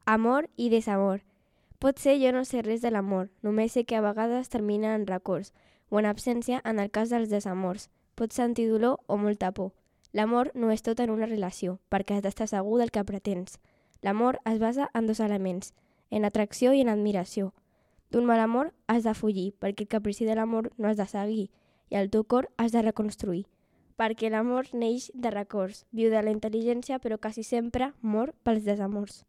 Amor i desamor. Potser jo no sé res de l'amor, només sé que a vegades termina en records o en absència en el cas dels desamors. Pots sentir dolor o molta por. L'amor no és tot en una relació, perquè has d'estar segur del que pretens. L'amor es basa en dos elements, en atracció i en admiració. D'un mal amor has de fugir, perquè el caprici de l'amor no has de seguir, i el teu cor has de reconstruir. Perquè l'amor neix de records, viu de la intel·ligència, però quasi sempre mor pels desamors.